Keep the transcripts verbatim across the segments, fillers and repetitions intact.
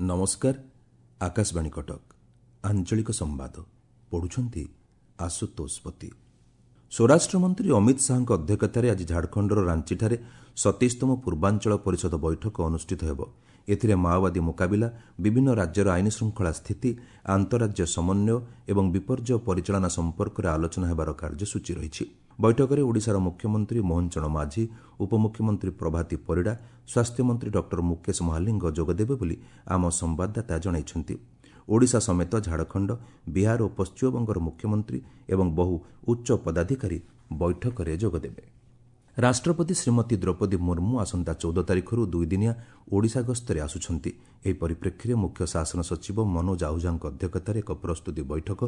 ନମସ୍କାର, ଆକାଶବାଣୀ କଟକ, ଆଞ୍ଚଳିକ ସମ୍ବାଦ ପଢୁଛନ୍ତି ଆଶୁତୋଷ ପତି। ସ୍ୱରାଷ୍ଟ୍ରମନ୍ତ୍ରୀ ଅମିତ ଶାହାଙ୍କ ଅଧ୍ୟକ୍ଷତାରେ ଆଜି ଝାଡ଼ଖଣ୍ଡର ରାଞ୍ଚିଠାରେ ସତେଇଶତମ ପୂର୍ବାଞ୍ଚଳ ପରିଷଦ ବୈଠକ ଅନୁଷ୍ଠିତ ହେବ। ଏଥିରେ ମାଓବାଦୀ ମୁକାବିଲା, ବିଭିନ୍ନ ରାଜ୍ୟର ଆଇନ ଶୃଙ୍ଖଳା ସ୍ଥିତି, ଆନ୍ତଃରାଜ୍ୟ ସମନ୍ୱୟ ଏବଂ ବିପର୍ଯ୍ୟୟ ପରିଚାଳନା ସମ୍ପର୍କରେ ଆଲୋଚନା ହେବାର କାର୍ଯ୍ୟସୂଚୀ ରହିଛି। ବୈଠକରେ ଓଡ଼ିଶାର ମୁଖ୍ୟମନ୍ତ୍ରୀ ମୋହନ ଚରଣ ମାଝୀ, ଉପମୁଖ୍ୟମନ୍ତ୍ରୀ ପ୍ରଭାତୀ ପରିଡ଼ା, ସ୍ୱାସ୍ଥ୍ୟମନ୍ତ୍ରୀ ଡକ୍ଟର ମୁକେଶ ମହାଲିଙ୍ଗ ଯୋଗଦେବେ ବୋଲି ଆମ ସମ୍ବାଦଦାତା ଜଣାଇଛନ୍ତି। ଓଡ଼ିଶା ସମେତ ଝାଡ଼ଖଣ୍ଡ, ବିହାର ଓ ପଶ୍ଚିମବଙ୍ଗର ମୁଖ୍ୟମନ୍ତ୍ରୀ ଏବଂ ବହୁ ଉଚ୍ଚ ପଦାଧିକାରୀ ବୈଠକରେ ଯୋଗଦେବେ। ରାଷ୍ଟ୍ରପତି ଶ୍ରୀମତୀ ଦ୍ରୌପଦୀ ମୁର୍ମୁ ଆସନ୍ତା ଚଉଦ ତାରିଖରୁ ଦୁଇଦିନିଆ ଓଡ଼ିଶା ଗସ୍ତରେ ଆସୁଛନ୍ତି। ଏହି ପରିପ୍ରେକ୍ଷୀରେ ମୁଖ୍ୟ ଶାସନ ସଚିବ ମନୋଜ ଆହୁଜାଙ୍କ ଅଧ୍ୟକ୍ଷତାରେ ଏକ ପ୍ରସ୍ତୁତି ବୈଠକ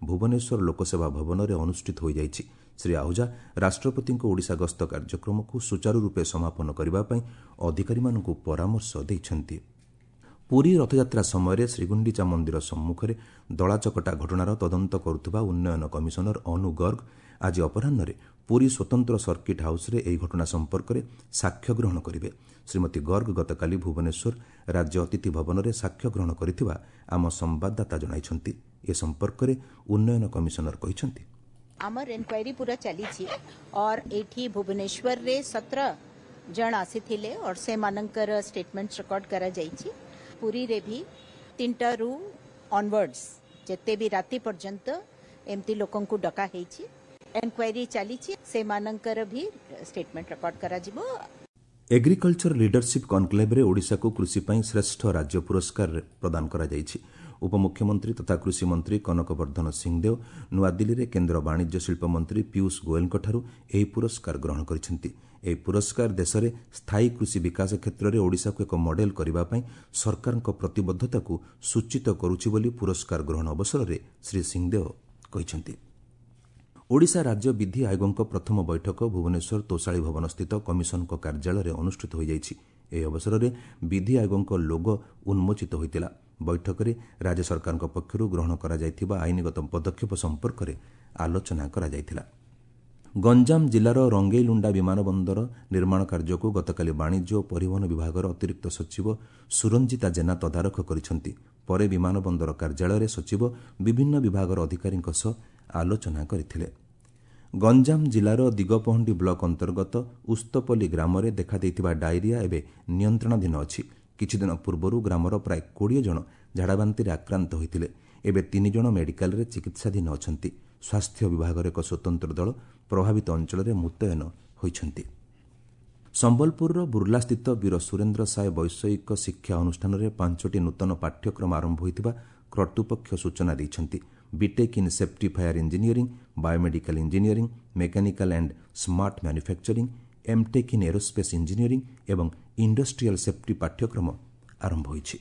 ଭୁବନେଶ୍ୱର ଲୋକସେବା ଭବନରେ ଅନୁଷ୍ଠିତ ହୋଇଯାଇଛି। ଶ୍ରୀ ଆହୁଜା ରାଷ୍ଟ୍ରପତିଙ୍କ ଓଡ଼ିଶା ଗସ୍ତ କାର୍ଯ୍ୟକ୍ରମକୁ ସୁଚାରୁରୂପେ ସମାପନ କରିବା ପାଇଁ ଅଧିକାରୀମାନଙ୍କୁ ପରାମର୍ଶ ଦେଇଛନ୍ତି। ପୁରୀ ରଥଯାତ୍ରା ସମୟରେ ଶ୍ରୀଗୁଣ୍ଡିଚା ମନ୍ଦିର ସମ୍ମୁଖରେ ଦଳାଚକଟା ଘଟଣାର ତଦନ୍ତ କରୁଥିବା ଉନ୍ନୟନ କମିଶନର ଅନୁ ଗର୍ଗ ଆଜି ଅପରାହ୍ନରେ ପୁରୀ ସ୍ୱତନ୍ତ୍ର ସର୍କିଟ୍ ହାଉସ୍ରେ ଏହି ଘଟଣା ସମ୍ପର୍କରେ ସାକ୍ଷ୍ୟ ଗ୍ରହଣ କରିବେ। ଶ୍ରୀମତୀ ଗର୍ଗ ଗତକାଲି ଭୁବନେଶ୍ୱର ରାଜ୍ୟ ଅତିଥି ଭବନରେ ସାକ୍ଷ୍ୟ ଗ୍ରହଣ କରିଥିବା ଆମ ସମ୍ବାଦଦାତା ଜଣାଇଛନ୍ତି। ଏ ସମ୍ପର୍କରେ ଉନ୍ନୟନ କମିଶନର କହିଛନ୍ତି, ଆମର ଇନକ୍ୱାରି ପୁରା ଚାଲିଛି और ଏଠି ଭୁବନେଶ୍ୱରରେ ସତର ଜଣ ଆସିଥିଲେ और ସେମାନଙ୍କର ଷ୍ଟେଟମେଣ୍ଟ ରେକର୍ଡ କରାଯାଇଛି। ପୁରୀରେ ବି ତିନିଟାରୁ ଅନୱାର୍ଡସ୍ ଯେତେ ବି ରାତି ପର୍ଯ୍ୟନ୍ତ ଏମିତି ଲୋକଙ୍କୁ ଡକା ହେଇଛି। ଏନକ୍ୱାରି ଚାଲିଛି, ସେମାନଙ୍କର ବି ଷ୍ଟେଟମେଣ୍ଟ ରେକର୍ଡ କରାଯିବ। ଏଗ୍ରିକଲଚର ଲିଡରସିପ୍ କନକ୍ଲେଭରେ ଓଡ଼ିଶାକୁ କୃଷି ପାଇଁ ଶ୍ରେଷ୍ଠ ରାଜ୍ୟ ପୁରସ୍କାର ପ୍ରଦାନ କରାଯାଇଛି। ଉପମୁଖ୍ୟମନ୍ତ୍ରୀ ତଥା କୃଷିମନ୍ତ୍ରୀ କନକ ବର୍ଦ୍ଧନ ସିଂଦେଓ ନୂଆଦିଲ୍ଲୀରେ କେନ୍ଦ୍ର ବାଣିଜ୍ୟ ଶିଳ୍ପ ମନ୍ତ୍ରୀ ପୀୟୁଷ ଗୋଏଲଙ୍କଠାରୁ ଏହି ପୁରସ୍କାର ଗ୍ରହଣ କରିଛନ୍ତି। ଏହି ପୁରସ୍କାର ଦେଶରେ ସ୍ଥାୟୀ କୃଷି ବିକାଶ କ୍ଷେତ୍ରରେ ଓଡ଼ିଶାକୁ ଏକ ମଡେଲ କରିବା ପାଇଁ ସରକାରଙ୍କ ପ୍ରତିବଦ୍ଧତାକୁ ସୂଚିତ କରୁଛି ବୋଲି ପୁରସ୍କାର ଗ୍ରହଣ ଅବସରରେ ଶ୍ରୀ ସିଂଦେଓ କହିଛନ୍ତି। ଓଡ଼ିଶା ରାଜ୍ୟ ବିଧି ଆୟୋଗଙ୍କ ପ୍ରଥମ ବୈଠକ ଭୁବନେଶ୍ୱର ତୋଷାଳୀ ଭବନସ୍ଥିତ କମିଶନଙ୍କ କାର୍ଯ୍ୟାଳୟରେ ଅନୁଷ୍ଠିତ ହୋଇଯାଇଛି। ଏହି ଅବସରରେ ବିଧି ଆୟୋଗଙ୍କ ଲୋଗୋ ଉନ୍ମୋଚିତ ହୋଇଥିଲା। ବୈଠକରେ ରାଜ୍ୟ ସରକାରଙ୍କ ପକ୍ଷରୁ ଗ୍ରହଣ କରାଯାଇଥିବା ଆଇନଗତ ପଦକ୍ଷେପ ସମ୍ପର୍କରେ ଆଲୋଚନା କରାଯାଇଥିଲା। ଗଞ୍ଜାମ ଜିଲ୍ଲାର ରଙ୍ଗେଇଲୁଣ୍ଡା ବିମାନ ବନ୍ଦର ନିର୍ମାଣ କାର୍ଯ୍ୟକୁ ଗତକାଲି ବାଣିଜ୍ୟ ଓ ପରିବହନ ବିଭାଗର ଅତିରିକ୍ତ ସଚିବ ସୁରଞ୍ଜିତା ଜେନା ତଦାରଖ କରିଛନ୍ତି। ପରେ ବିମାନ ବନ୍ଦର କାର୍ଯ୍ୟାଳୟରେ ସଚିବ ବିଭିନ୍ନ ବିଭାଗର ଅଧିକାରୀଙ୍କ ସହ ଆଲୋଚନା କରିଥିଲେ। ଗଞ୍ଜାମ ଜିଲ୍ଲାର ଦିଗପହଣ୍ଡି ବ୍ଲକ ଅନ୍ତର୍ଗତ ଉସ୍ତପଲ୍ଲୀ ଗ୍ରାମରେ ଦେଖାଦେଇଥିବା ଡାଇରିଆ ଏବେ ନିୟନ୍ତ୍ରଣାଧୀନ ଅଛି। କିଛିଦିନ ପୂର୍ବରୁ ଗ୍ରାମର ପ୍ରାୟ କୋଡ଼ିଏ ଜଣ ଝାଡ଼ାବାନ୍ତିରେ ଆକ୍ରାନ୍ତ ହୋଇଥିଲେ। ଏବେ ତିନି ଜଣ ମେଡିକାଲରେ ଚିକିତ୍ସାଧୀନ ଅଛନ୍ତି। ସ୍ୱାସ୍ଥ୍ୟ ବିଭାଗର ଏକ ସ୍ୱତନ୍ତ୍ର ଦଳ ପ୍ରଭାବିତ ଅଞ୍ଚଳରେ ମୁତୟନ ହୋଇଛନ୍ତି। ସମ୍ବଲପୁରର ବୁର୍ଲାସ୍ଥିତ ବୀର ସୁରେନ୍ଦ୍ର ସାଏ ବୈଷୟିକ ଶିକ୍ଷା ଅନୁଷ୍ଠାନରେ ପାଞ୍ଚଟି ନୂତନ ପାଠ୍ୟକ୍ରମ ଆରମ୍ଭ ହୋଇଥିବା କର୍ତ୍ତୃପକ୍ଷ ସୂଚନା ଦେଇଛନ୍ତି। BTech in safety fire engineering, biomedical engineering, mechanical and smart manufacturing, MTech in aerospace engineering ଏବଂ ଇଣ୍ଡଷ୍ଟ୍ରିଆଲ ସେଫ୍ଟି ପାଠ୍ୟକ୍ରମ ଆରମ୍ଭ ହୋଇଛି।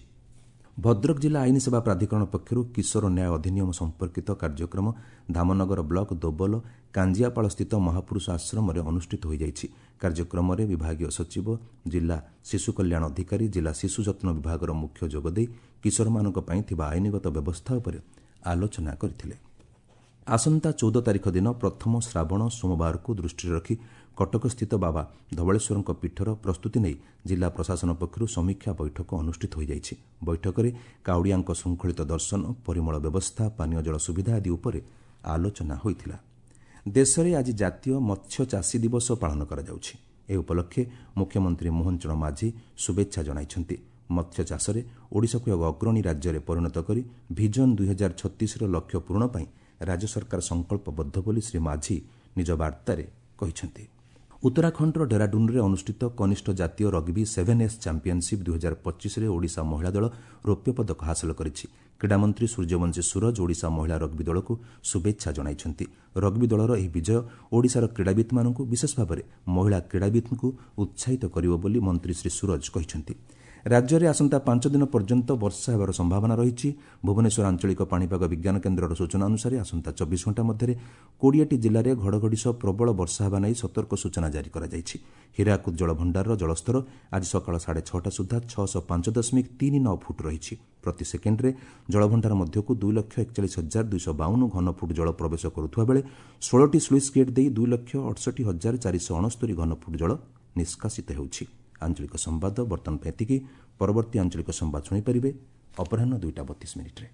ଭଦ୍ରକ ଜିଲ୍ଲା ଆଇନ ସେବା ପ୍ରାଧିକରଣ ପକ୍ଷରୁ କିଶୋର ନ୍ୟାୟ ଅଧିନିୟମ ସମ୍ପର୍କିତ କାର୍ଯ୍ୟକ୍ରମ ଧାମନଗର ବ୍ଲକ ଦୋବଲ କାଞ୍ଜିଆପାଳସ୍ଥିତ ମହାପୁରୁଷ ଆଶ୍ରମରେ ଅନୁଷ୍ଠିତ ହୋଇଯାଇଛି। କାର୍ଯ୍ୟକ୍ରମରେ ବିଭାଗୀୟ ସଚିବ, ଜିଲ୍ଲା ଶିଶୁ କଲ୍ୟାଣ ଅଧିକାରୀ, ଜିଲ୍ଲା ଶିଶୁ ଯତ୍ନ ବିଭାଗର ମୁଖ୍ୟ ଯୋଗଦେଇ କିଶୋରମାନଙ୍କ ପାଇଁ ଥିବା ଆଇନଗତ ବ୍ୟବସ୍ଥା ଉପରେ ଆଲୋଚନା କରିଥିଲେ। ଆସନ୍ତା ଚଉଦ ତାରିଖ ଦିନ ପ୍ରଥମ ଶ୍ରାବଣ ସୋମବାରକୁ ଦୃଷ୍ଟିରେ ରଖି କଟକସ୍ଥିତ ବାବା ଧବଳେଶ୍ୱରଙ୍କ ପୀଠର ପ୍ରସ୍ତୁତି ନେଇ ଜିଲ୍ଲା ପ୍ରଶାସନ ପକ୍ଷରୁ ସମୀକ୍ଷା ବୈଠକ ଅନୁଷ୍ଠିତ ହୋଇଯାଇଛି। ବୈଠକରେ କାଉଡ଼ିଆଙ୍କ ଶୃଙ୍ଖଳିତ ଦର୍ଶନ, ପରିମଳ ବ୍ୟବସ୍ଥା, ପାନୀୟ ଜଳ ସୁବିଧା ଆଦି ଉପରେ ଆଲୋଚନା ହୋଇଥିଲା। ଦେଶରେ ଆଜି ଜାତୀୟ ମତ୍ସ୍ୟ ଚାଷୀ ଦିବସ ପାଳନ କରାଯାଉଛି। ଏହି ଉପଲକ୍ଷେ ମୁଖ୍ୟମନ୍ତ୍ରୀ ମୋହନ ଚରଣ ମାଝୀ ଶୁଭେଚ୍ଛା ଜଣାଇଛନ୍ତି। ମତ୍ସ୍ୟ ଚାଷରେ ଓଡ଼ିଶାକୁ ଏକ ଅଗ୍ରଣୀ ରାଜ୍ୟରେ ପରିଣତ କରି ଭିଜନ ଦୁଇ ହଜାର ଛତିଶର ଲକ୍ଷ୍ୟ ପୂରଣ ପାଇଁ ରାଜ୍ୟ ସରକାର ସଂକଳ୍ପବଦ୍ଧ ବୋଲି ଶ୍ରୀ ମାଝୀ ନିଜ ବାର୍ତ୍ତାରେ କହିଛନ୍ତି। ଉତ୍ତରାଖଣ୍ଡର ଡେରାଡୁନ୍ରେ ଅନୁଷ୍ଠିତ କନିଷ୍ଠ ଜାତୀୟ ରଗ୍ବି ସେଭେନ୍ ଏସ୍ ଚାମ୍ପିୟନସିପ୍ ଦୁଇ ହଜାର ପଚିଶରେ ଓଡ଼ିଶା ମହିଳା ଦଳ ରୌପ୍ୟ ପଦକ ହାସଲ କରିଛି। କ୍ରୀଡ଼ାମନ୍ତ୍ରୀ ସୂର୍ଯ୍ୟବଂଶୀ ସୂରଜ ଓଡ଼ିଶା ମହିଳା ରଗ୍ବି ଦଳକୁ ଶୁଭେଚ୍ଛା ଜଣାଇଛନ୍ତି। ରଗ୍ବି ଦଳର ଏହି ବିଜୟ ଓଡ଼ିଶାର କ୍ରୀଡ଼ାବିତ୍ମାନଙ୍କୁ, ବିଶେଷ ଭାବରେ ମହିଳା କ୍ରୀଡ଼ାବିତ୍ଙ୍କୁ ଉତ୍ସାହିତ କରିବ ବୋଲି ମନ୍ତ୍ରୀ ଶ୍ରୀ ସୂରଜ କହିଛନ୍ତି। ରାଜ୍ୟରେ ଆସନ୍ତା ପାଞ୍ଚ ଦିନ ପର୍ଯ୍ୟନ୍ତ ବର୍ଷା ହେବାର ସମ୍ଭାବନା ରହିଛି। ଭୁବନେଶ୍ୱର ଆଞ୍ଚଳିକ ପାଣିପାଗ ବିଜ୍ଞାନ କେନ୍ଦ୍ରର ସୂଚନା ଅନୁସାରେ ଆସନ୍ତା ଚବିଶ ଘଣ୍ଟା ମଧ୍ୟରେ କୋଡ଼ିଏଟି ଜିଲ୍ଲାରେ ଘଡ଼ଘଡ଼ି ସହ ପ୍ରବଳ ବର୍ଷା ହେବା ନେଇ ସତର୍କ ସୂଚନା ଜାରି କରାଯାଇଛି। ହୀରାକୁଦ ଜଳଭଣ୍ଡାରର ଜଳସ୍ତର ଆଜି ସକାଳ ସାଢ଼େ ଛଅଟା ସୁଦ୍ଧା ଛଅଶହ ପାଞ୍ଚ ଦଶମିକ ତିନି ନଅ ଫୁଟ ରହିଛି। ପ୍ରତି ସେକେଣ୍ଡରେ ଜଳଭଣ୍ଡାର ମଧ୍ୟକୁ ଦୁଇ ଲକ୍ଷ ଏକଚାଳିଶ ହଜାର ଦୁଇଶହ ବାଉନ ଘନଫୁଟ ଜଳ ପ୍ରବେଶ କରୁଥିବା ବେଳେ ଷୋହଳଟି ସ୍ଲୁଇସ୍ ଗେଟ୍ ଦେଇ ଦୁଇ ଲକ୍ଷ ଅଠଷଠି ହଜାର ଚାରିଶହ ଅଣସ୍ତରୀ ଘନଫୁଟ ଜଳ ନିଷ୍କାସିତ ହେଉଛି। ଆଞ୍ଚଳିକ ସମ୍ବାଦ ବର୍ତ୍ତମାନ ପାଇଁ ଏତିକି। ପରବର୍ତ୍ତୀ ଆଞ୍ଚଳିକ ସମ୍ବାଦ ଶୁଣିପାରିବେ ଅପରାହ୍ନ ଦୁଇଟା ବତିଶ ମିନିଟ୍ରେ।